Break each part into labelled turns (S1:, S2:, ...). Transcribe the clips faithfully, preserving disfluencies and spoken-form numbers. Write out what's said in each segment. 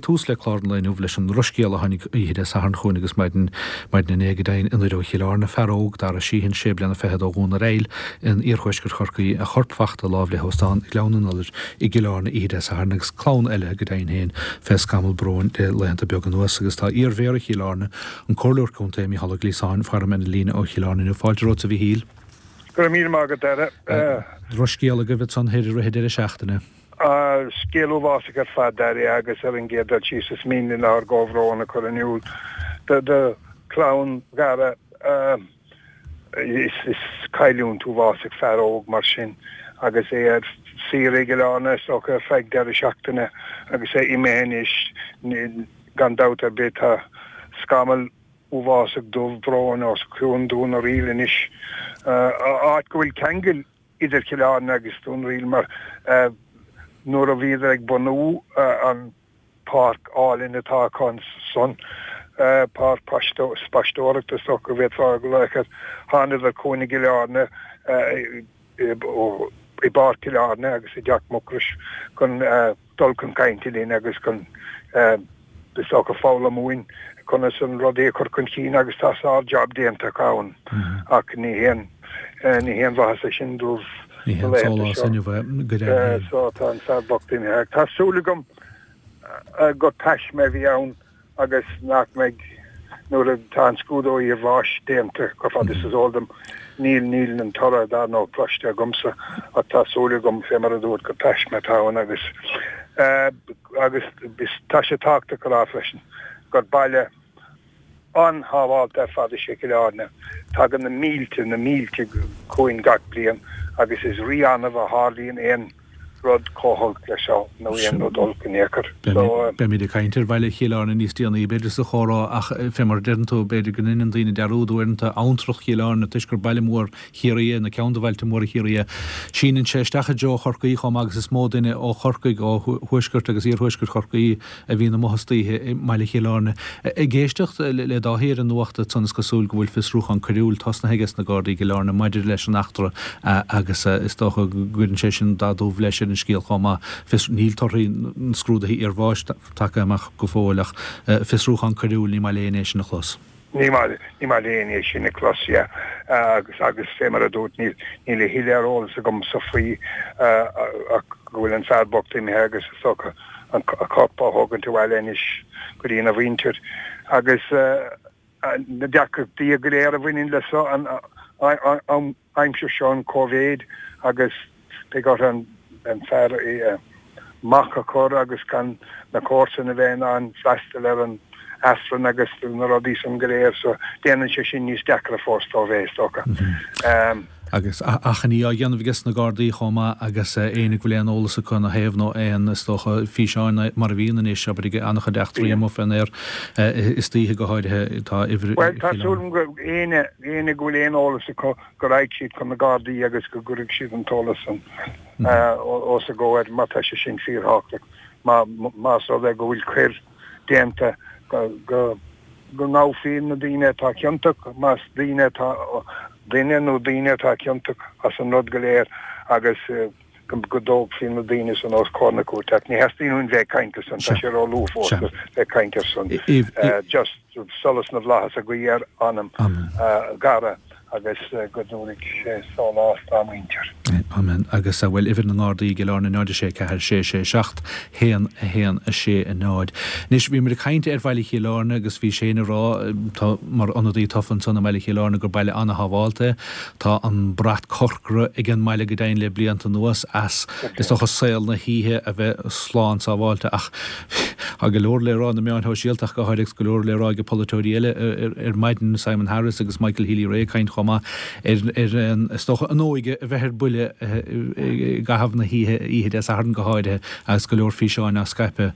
S1: tús le clár an lae inniu leis an ndrochscéal a tháinig oíche Dé Sathairn chugainn agus maidin maidin inné go deimhin i nDoire Chill Airne, fear óg, Dara Sheehan, sé bliana fichead ó Dhún ar Aill in iarthuaisceart Chorcaí, a chorp fachta láimh le hóstán Ghleann an Iolair i gCill Airne oíche Dé Sathairn agus clann eile go deimhin féin fé scamall bróin le laethanta beaga anuas agus tá iar-mhéara Chill Airne, an Comhairleoir Contae Mícheál Ó Gliasáin, faram ar an líne ó Chill Airne inniu. Fáilte romhat a Mhíchíl.
S2: Go raibh míle maith agat, a Dhara.
S1: Drochscéal agaibh ansan thoir i rith an deireadh seachtaine.
S2: Scéal uafásach ar fad, a Dhara, agus ar an gcéad dul síos is mian linn ár gcomhbhrón a chur in iúl do chlann Dhara. Is cailliúint uafásach fear óg mar sin agus é ar saoire i gCill Airne is dócha ar feadh deireadh seachtaine agus é imithe anois. Gan dabht ar bith tá scamall uafásach dubh bróin os cionn Dún na Ríl anois, áit go bhfuil ceangal idir Cill Airne agus Dún na Ríl mar nuair a bhíodar ag bunú an páirc álainn atá acu ansan, páirc spaisteoireachta is dócha go bhféadfá a ghlaoch air, thánadar chugainn i gCill Airne i bPáirc Chill Airne agus i dTeach Mucrois chun dul chun cainte linn agus chun is dócha foghlaim uainn conas an rudaí a chur chun cinn agus tá sár jab déanta acu ann ach ní haon ní haon mhaitheas é sin dóibh
S1: Ní haon sólás inniu é go deimhin.
S2: So tá an fear bocht imithe. Tá súil agam gur taisme a bhí ann agus nach mbeidh, nuair atá an scrúdú iarbháis déanta, chomh fada is is eol dom, níl, níl an toradh dar ndóigh cloiste agamsa ach tá súil agam, fé mar a dúirt, gur taisme atá ann agus, agus tá sé tábhachtach a rá freisin gur baile an-shábháilte ar fad is ea Cill Airne. Tagann na mílte, na mílte chugainn gach bliain agus is rí-annamh a tharlaíonn aon rud chomh holc leis seo nó aon rud olc in aon chor. So.
S1: Beimid ag caint ar bhaile Chill Airne níos déanaí b'fhéidir sa chomhrá ach fé mar a deireann tú b'fhéidir go ndeineann daoine dearúd uaireanta abhantrach Chill Airne toisc gur baile mór Chiarraí é nó ceann de bhailte móra Chiarraí é. Síneann sé isteach i dtreo Chorcaí chomh maith agus is mó duine ó Chorcaigh, ó thuaisceart agus iarthuaisceart Chorcaí a bhíonn amuigh istoíche i mbaile Chill Airne. Ag éisteacht le Dáithí ar an nuacht ansan is cosúil go bhfuil fiosrúchán coiriúil tosnaithe aige sna Gardaí i gCill Airne maidir leis an eachtra agus is dócha go gcuireann sé sin dath dubh leis ar an scéal chomh maith. Fios, níl torthaí na scrúduithe iarbháis tagtha amach go fóill ach fiosrúchán coiriúil, ní maith le éinne é sin a chlos.
S2: Ní maith, ní maith le éinne é sin a chlos, yeah. Agus, agus fé mar a dúirt, níl, níl a thuilleadh ar eolas agamsa faoi ach go bhfuil an fear bocht imithe agus is dócha an a chorp á thógaint abhaile anois go dtí a mhuintir. Agus na deacrachtaí go léir a bhaineann le so, an, an, aimsir seo an Covid agus beidh orthu an fear amach a chur agus gan na comharsana a bheith in ann freastal ar an Aifreann agus na rudaí san go léir so déanann sé sin níos deacra fós dóibh é is dócha.
S1: Agus achainí á dhéanamh aige sna Gardaí chomh maith agus éinne go bhfuil aon eolas acu ina thaobh nó aon, is dócha, físeáin mar a bhíonn anois, abair ag an-chuid eachtraí amuigh fén aer istoíche go háirithe, tá uimhir
S2: Bhuel tá súil agam go éinne, éinne go bhfuil aon eolas acu go raghaidh siad chun na Gardaí agus go gcuirfidh siad an t-eolas san os a gcomhair mar tá sé sin fíorthábhachtach más rud é go bhfuil coir déanta go go ngabhfaí na daoine atá ciontach, más daoine atá duine nó daoine atá ciontach as an rud go léir agus go dtógfaí na daoine san os comhair na cúirte. Ach ní theastaíonn uainn bheith ag caint ar san, tá sé ró-luath fós le bheith ag caint ar san. Just solas na bhflaitheas a ghuí ar anam Dhara agus go dtabharfaidh sé sólás dá mhuintir.
S1: Amen. Agus bhuel, uimhir na nGardaí i gCill Airne náid a sé ceathair sé sé seacht haon a haon a sé a náid. Anois, bhíomar ag caint ar bhaile Chill Airne agus bhí Shane ag rá, tá mar ionadaí tofa ansan i mbaile Chill Airne gur baile ana-shábháilte é. Tá an brat corcra ag an mbaile go deimhin le blianta anuas as, is dócha, saol na hoíche a bheith slán sábháilte ach tá go leor le rá na meáin shóisialta ach go háirithe agus go leor le rá ag polaiteoirí eile ar maidin, Simon Harris agus Michael Healy-Rae ag caint chomh maith ar ar an, is dócha, an óige a bheith ar buile i gcaitheamh na hoíche, oíche Dé Sathairn go háirithe agus go leor físeáin á scaipeadh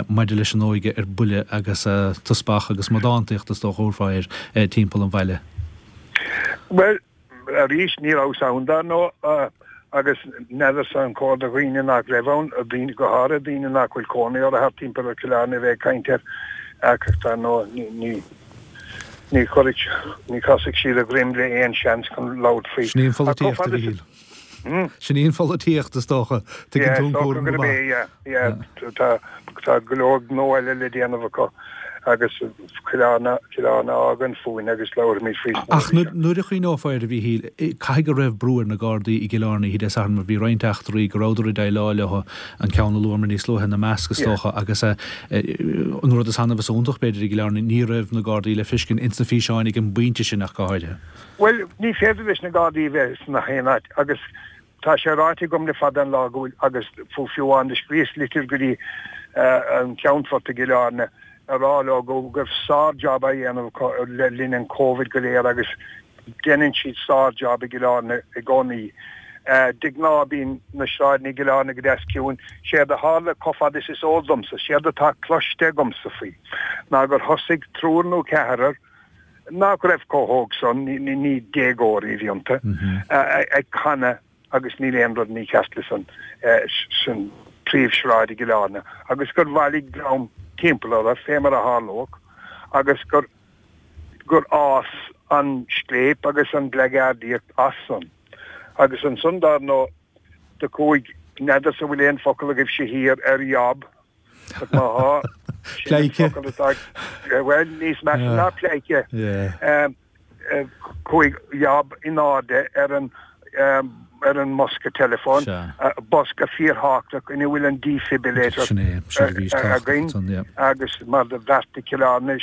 S1: maidir leis an óige ar buile agus teaspach agus amadántaíocht is dócha a thabharfá air timpeall an bhaile.
S2: Bhuel, arís, ní rabhas ann, dar ndóigh, agus n'fheadarsa an cóir do dhaoine nach raibh ann, daoine, go háirithe daoine nach bhfuil cónaí orthu thart timpeall ar Chill Airne a bheith ag caint air, ach dar ndóigh, ní, ní, ní chuirfidh, ní chasfaidh siad a dhroim le aon seans chun labhairt faoi.
S1: Sin í an
S2: Ach chomh
S1: pholaitíocht, a
S2: fada is,
S1: Mhichíl. Sin í an pholaitíocht is dócha. Tuigeann tú an cúram go maith.
S2: Yeah, tá tá go leor gnó eile le déanamh acu agus Cill Airne Cill Airne a fhágaint fúinn agus labhraímid faoi sna
S1: Ach nuair a chuimhneofá air, a Mhíchíl, caithfidh go raibh brú ar na Gardaí i gCill Airne oíche Dé Sathairn mar bhí roinnt eachtraí go rabhadar ag déileáil leo, an ceann a luamar níos luaithe ina measc is dócha, agus an rud is annamh is iontach b'fhéidir i gCill Airne, ní raibh na Gardaí le feiscint ins na físeáin ag an bpointe sin ach go háirithe.
S2: Bhuel, ní féidir leis na Gardaí bheith sna haon áit agus tá sé ráite agam le fada an lá go bhfuil, agus fiú amháin do scríos litir go dtí an Ceannfort i gCill Airne a rá leo go raibh sár-jab á dhéanamh acu le linn an Covid go léir agus déanann siad sár-jab i gCill Airne i gcónaí. De ghnáth bíonn na sráideanna i gCill Airne go deas ciúin. Séard a tharla chomh fada is is eol domsa, séard atá cloiste agamsa faoi, ná gur thosaigh triúr nó ceathrar, nach raibh chomh hóg san, ní déagóirí a bhí iontu, ag canadh agus níl aon rud mícheart le san san príomhshráid i gCill Airne agus gur bhailigh dream timpeall orthu, fé mar a tharlódh, agus gur gur fhás an scléip agus an bhleageardaíocht as san. Agus ansan dar ndóigh do chuaigh, n'fheadarsa an bhfuil aon focal agaibhse thiar ar yob, ach má thá, sin an focal atá, bhuel, níos measa ná pleidhce. Chuaigh yob in airde ar an ar an mbosca teileafóin, bosca fíorthábhachtach ina bhfuil an defibrillator againn agus mar do bheartaigh Cill Airne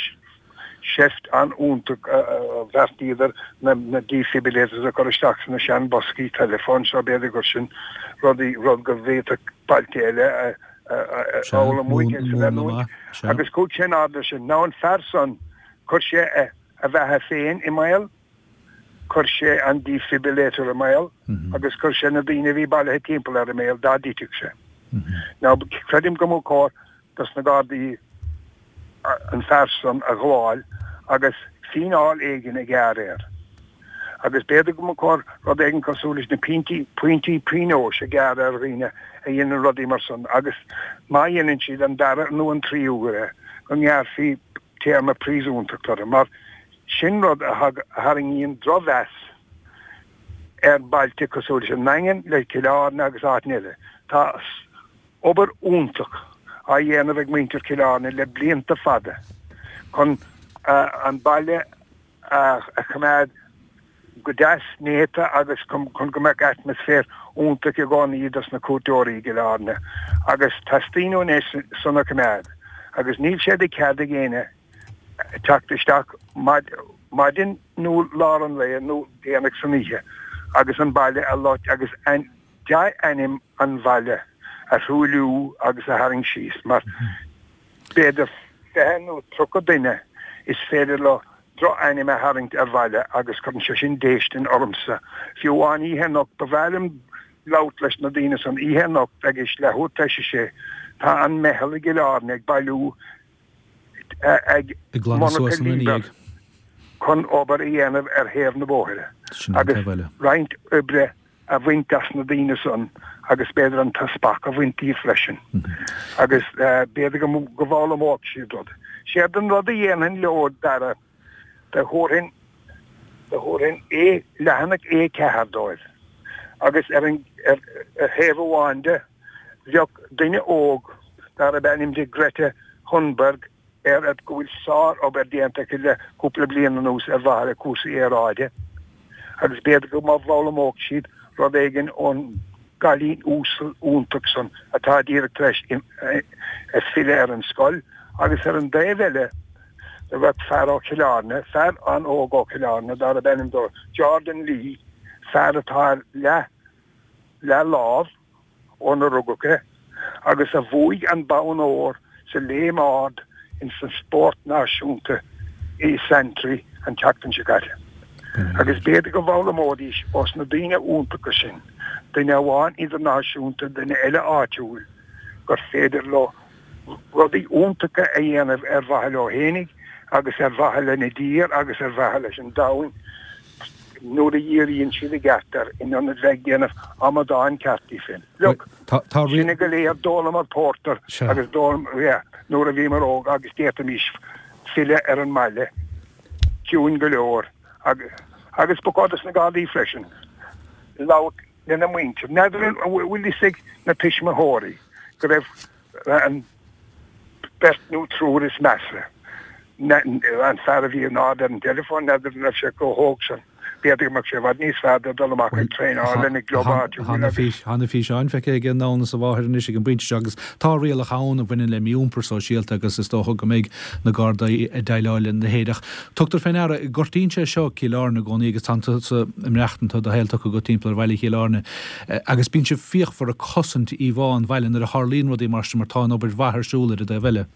S2: seift an-iontach a bheartaíodar na defibrillators a chur isteach sna sean-bhoscaí teileafóin seo, b'fhéidir gur sin rudaí, rud go bhféadfadh bailte eile a fhoghlaim uaidh agus a leanúint. Agus chuaigh sé in airde sin. Now an fear san, chuir sé a bheatha féin i mbaol, chuir sé an defibrillator i mbaol agus chuir sé na daoine a bhí bailithe timpeall air i mbaol dá dtitfeadh sé. Now creidim go mba chóir dos na Gardaí an fear san a ghabháil agus fíneáil éigin a ghearradh air. Agus b'fhéidir go mba chóir rud éigin cosúil leis na pointí, pointí pionóis a ghearradh ar dhaoine a dhéanann rudaí mar san agus má dhéanann siad an dara nó an tríú huair é, go ngearrfaí téarma príosúntachta orthu mar sin rud a tharraingíonn drochmheas ar bhailte cosúil leis an nDaingean, le Cill Airne agus áiteanna eile. Tá obair iontach á dhéanamh ag muintir Chill Airne le blianta fada chun an baile a choimeád go deas néata agus chun go mbeadh atmaisféar iontach i gcónaí dos na cuairteoirí i gCill Airne agus teastaíonn uainn é san a choimeád agus níl sé de chead ag éinne teacht isteach maidin nó lár an lae nó déanach san oíche agus an baile a loit agus dea-ainm an bhaile a thruailliú agus a tharraingt síos mar b'fhéidir fiche nó tríocha duine is féidir leo droch-ainm a tharraingt ar bhaile agus cuireann sé sin déistin ormsa. Fiú amháin oíche anocht, ba bhreá liom labhairt leis na daoine san oíche anocht ag leathuair tar éis a sé. Tá an meitheal i gCill Airne ag bailiú ag monarcha Liebherr chun obair a dhéanamh ar thaobh na bóithre agus roinnt oibre a bhaint as na daoine san agus b'fhéidir an t-spac a bhaint díobh freisin agus b'fhéidir go bhfoghlaimeodh siad rud. Séard an rud a dhéanfainn leo, Dara, do thabharfainn do thabharfainn A, leathanach A ceathair dóibh agus ar an ar thaobh amháin de bheadh duine óg darb ainm di Greta Thunberg ar go bhfuil sár-obair déanta aici le cúpla bliain anuas ar mhaithe le cúrsaí aeráide agus b'fhéidir go bhfoghlaimeodh siad rud éigin ón gcailín uasal iontach san atá díreach tar éis filleadh ar an scoil agus ar an dtaobh eile do bheadh fear ó Chill Airne, fear an-óg ó Chill Airne darb ainm dó Jordan Lee, fear atá ar leath leath-lámh ónar rugadh é, agus a bhuaigh an bonn óir sa léim ard ins an spórt náisiúnta i Santry an tseachtain seo caite. Agus b'fhéidir go bhfoghlaimeoidís ós na daoine iontacha sin, duine amháin idirnáisiúnta, duine eile áitiúil, gur féidir leo rudaí iontacha a dhéanamh ar mhaithe leo fhéinig agus ar mhaithe lena dtír agus ar mhaithe leis an domhan nuair a dhíríonn siad i gceart air in ionad bheith ag déanamh amadáin ceart díobh féin. Look, sinne go léir d'ólamar pórtar agus d'ólamar, yeah, nuair a bhíomar óg agus d'fhéadfaimis filleadh ar an mbaile ciúin go leor agus, agus ba chóir dos na Gardaí freisin labhairt lena muintir. N'fheadar an bhfuil fhios ag na tuismitheoirí go raibh an beirt nó triúr is measa, an fear a bhí in ard ar an dteileafón, n'fheadar an raibh sé chomh hóg san. B'fhéidir go mbeadh sé i bhfad níos fearr dó dul amach ag traenáil lena gclub áitiúil agus.
S1: Tá na físeáin feicthe ag an ann is a mháthair anois ag an bpointe seo agus tá rialacha ann a bhaineann le mí-iompar sóisialta agus is dócha go mbeidh na Gardaí ag déileáil lena leithéid. Ach tugtar fé ndeara, gortaíonn sé seo Cill Airne i gcónaí agus tánn tusa ag maireachtaint, tá do shaol tugtha agat timpeall ar bhaile Chill Airne agus bíonn sibh fíochmhar ag cosaint íomhá an bhaile nuair a tharlaíonn rudaí mar sin mar tá an obair mhaith ar siúl ar an dtaobh eile.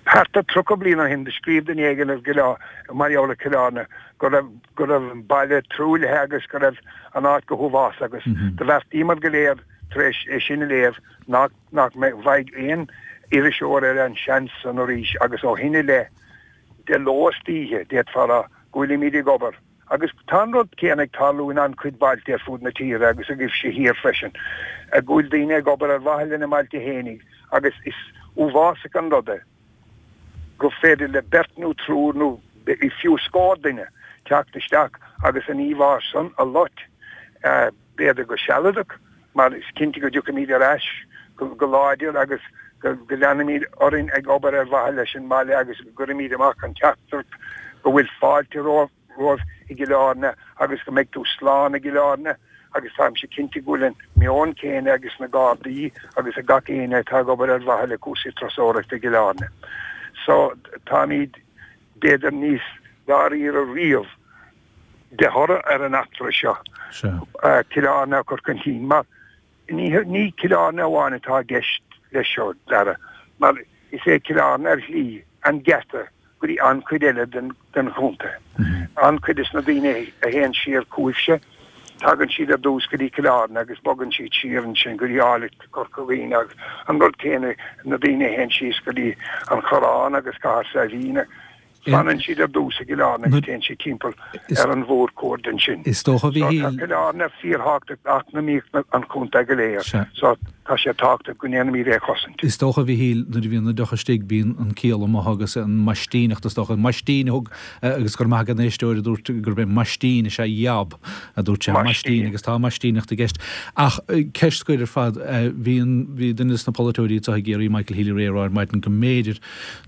S2: Thart ar tríocha bliain ó shin do scríobh duine éigin ar mar gheall ar Chill Airne go raibh go raibh an baile truaillithe agus go raibh an áit go huafásach agus do bheartaíomar go léir tar éis é sin a léamh nach nach bhfaigheadh aon iriseoir eile an seans san arís agus ó shin i leith de ló is d'oíche d'fhéadfá a rá go bhfuilimid ag obair agus tá an rud céanna ag tarlú in an-chuid bailte ar fud na tíre agus agaibhse thiar freisin go bhfuil daoine ag obair ar mhaithe lena mbailte fhéinig agus is uafásach an rud é gur féidir le beirt nó triúr nó fiú scór duine teacht isteach agus an íomhá san a loit, b'fhéidir go sealadach, mar is cinnte go dtiocfaimid ar ais go láidir agus go leanfaimid orainn ag obair ar mhaithe leis an mbaile agus go gcuirfimid amach an teachtaireacht go bhfuil fáilte romhaibh i gCill Airne agus go mbeidh tú slán i gCill Airne agus táimse cinnte go bhfuil an meon céanna ages na Gardaí agus ag gach éinne atá ag obair ar mhaithe le cúrsaí turasóireachta i gCill Airne. So táimid b'fhéidir níos dáiríre riamh de thoradh ar an eachtra seo Cill Airne a chur chun cinn mar ní Cill Airne amháin atá i gceist leis seo, Dara, mar is é Cill Airne ar shlí an geata go dtí an-chuid eile den chontae. An-chuid des na daoine a théann siar chugaibhse, tagann siad ar dtús go dtí Cill Airne agus bogann siad siar ansin go dtí áilleacht Chorca Dhuibhne agus an rud céanna na daoine a théann síos go dtí an Corrán agus Cathair Saidhbhín. Fanann siad ar dtús i gCill Airne agus téann siad timpeall ar an mhórchuaird ansin.
S1: Is dócha, a Mhíchíl.
S2: So tá Cill Airne fíorthábhachtach d'eacnamaíocht an chontae go léir. So tá sé tábhachtach go ndéanaimid é a chosaint.
S1: Is dócha, a Mhíchíl, nuair a bhíonn an deoch istigh bíonn an ciall amuigh agus an maistíneacht is dócha. An maistín a thug agus go raibh maith ag an éisteoir a dúirt gurb é maistín is ea jab a dúirt sé. Maistín agus tá maistíneacht i gceist. Ach ceist scoir ar fad, bhí an, bhí duine des na polaiteoirí anseo i gCiarraí, Michael Healy-Rae, ag rá ar maidin go mb'fhéidir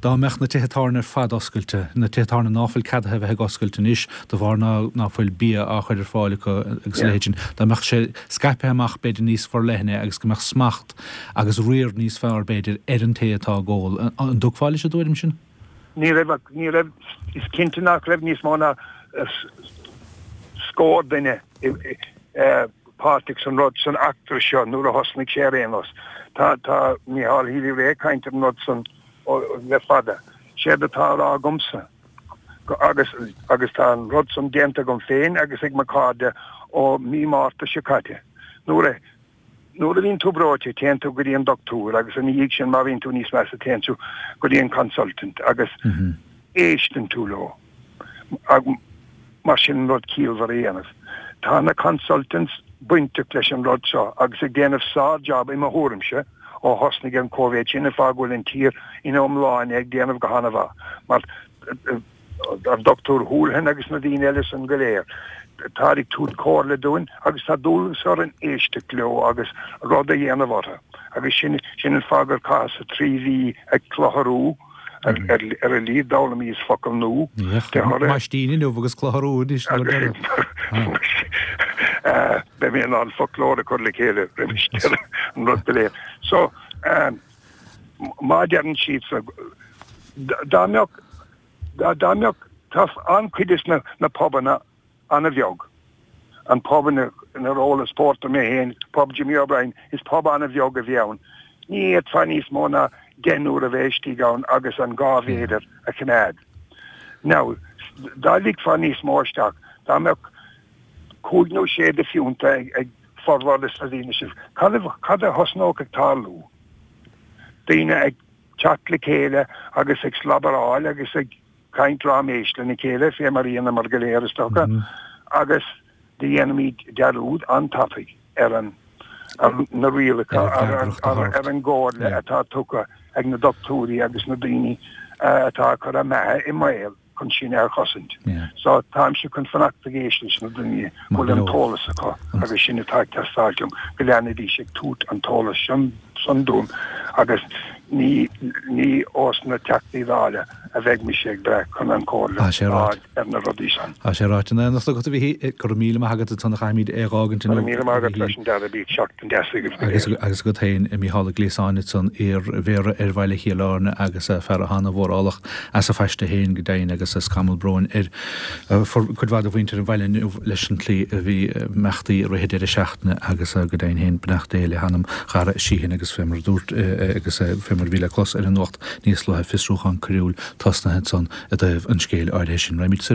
S1: Dá mbeadh na tithe tábhairne ar fad oscailte, na tithe tábhairne ná fuil ceadaithe a bheith ag oscailt anois de bharr ná ná fuil bia á chur ar fáil acu agus a leithéid sin, dá mbeadh sé scaipthe amach b'fhéidir níos forleithne agus go mbeadh smacht agus riar níos fearr b'fhéidir ar an té atá ag ól. An dtiocfá leis an dtuairim sin?
S2: Ní raibh ach, ní raibh, is cinnte nach raibh níos mó ná scór duine páirteach san rud, san eachtra seo nuair a thosnaigh sé ar aon nós. Tá, tá Micheál Healy-Rae ag caint ar an rud san le fada. Séard atá á rá agamsa, agus, agus tá an rud san déanta agam féin agus ag mo chairde ó mí Márta seo caite, nuair a, nuair a bhíonn tú breoite téann tú go dtí an doctúir agus ina dhiaidh sin má bhíonn tú níos measa téann tú go dtí an consultant agus éisteann tú leo. Mar sin an rud ciallmhar a dhéanamh. Tá na consultants bainteach leis an rud seo agus ag déanamh sár-jab i mo thuairimse ó thosnaigh an Covid sin an fáth go bhfuil an tír ina iomláine ag déanamh go han-mhaith mar an Dochtúir Houlihan agus na daoine eile san go léir táid ag tabhairt comhairle dúinn agus tá dualgas orainn éisteacht leo agus rud a dhéanamh orthu agus sin sin an fáth gur chaitheas-sa trí mhí ag clutharú ar a laghad d'fhoghlaimíos focal nua
S1: de thoradh. Maistín inniu agus clutharú anois nó deireadh.
S2: Beidh mé in ann foclóir a chur le chéile roimis deireadh an rud go léir. So, má deireann siad so, dá mbeadh, dá mbeadh, tá an-chuid des na pubanna an-bheag. An pub inar ólas pórtar mé féin, Pub Jimmy O'Brien, is pub an-bheag a bhí ann. Ní fhéadfá níos mó ná deichniúr a bheith istigh ann agus an dhá mhéadar a choimeád. Now, dá ligfeá níos mó isteach, dá mbeadh cúig nó sé de phiúnta ag formhór des na daoine sin, cad a thosnódh ag tarlú? Daoine ag teacht le chéile agus ag slabaráil agus ag. caint raiméis lena chéile, fé mar a dhéanamar go léir, is dócha, agus do dhéanfaimid dearúd an-tapaidh ar an, ar na rialacha, ar an gcomhairle atá tugtha ag na dochtúirí agus na daoine atá ag cur a mbeatha i mbaol. chun sin a chosaint. So táimse chun fanacht ag éisteacht leis na daoine a bhfuil an t-eolas acu agus sin atá ag teastáilt uaim, go leanfaidís ag tabhairt an t-eolas san dúinn agus ní ní ós na Teachtaí Dála a bheidh mise ag brath chun an comhairle a fháil ar na rudaí san.
S1: Tá sé ráite in éineacht agat, a Mhichíl. Go raibh míle maith agat ansan a chaithfimid é a dh'fhágaint
S2: inniu. Go raibh míle maith agat leis an Dara Bíodh seachtain deas agaibh go
S1: léir. Agus agat féin, Mícheál Ó Gliasáin ansan, iar-mhéara ar Bhaile Chill Airne agus fear atá ana-mhórálach as a phaiste féin go deimhin agus scamall bróin ar cuid mhaith de mhuintir an bhaile inniu leis an tslí a bhí imeachtaí i rith an deireadh seachtaine agus go deimhin féin beannacht Dé le hanam Dhara Sheehan agus fé mar a dúirt agus fé mar a bhí le clos ar an nuacht níos luaithe fiosrúchán coiriúil tosnaithe ansan i dtaobh an scéil áirithe sin. Raghaimid soir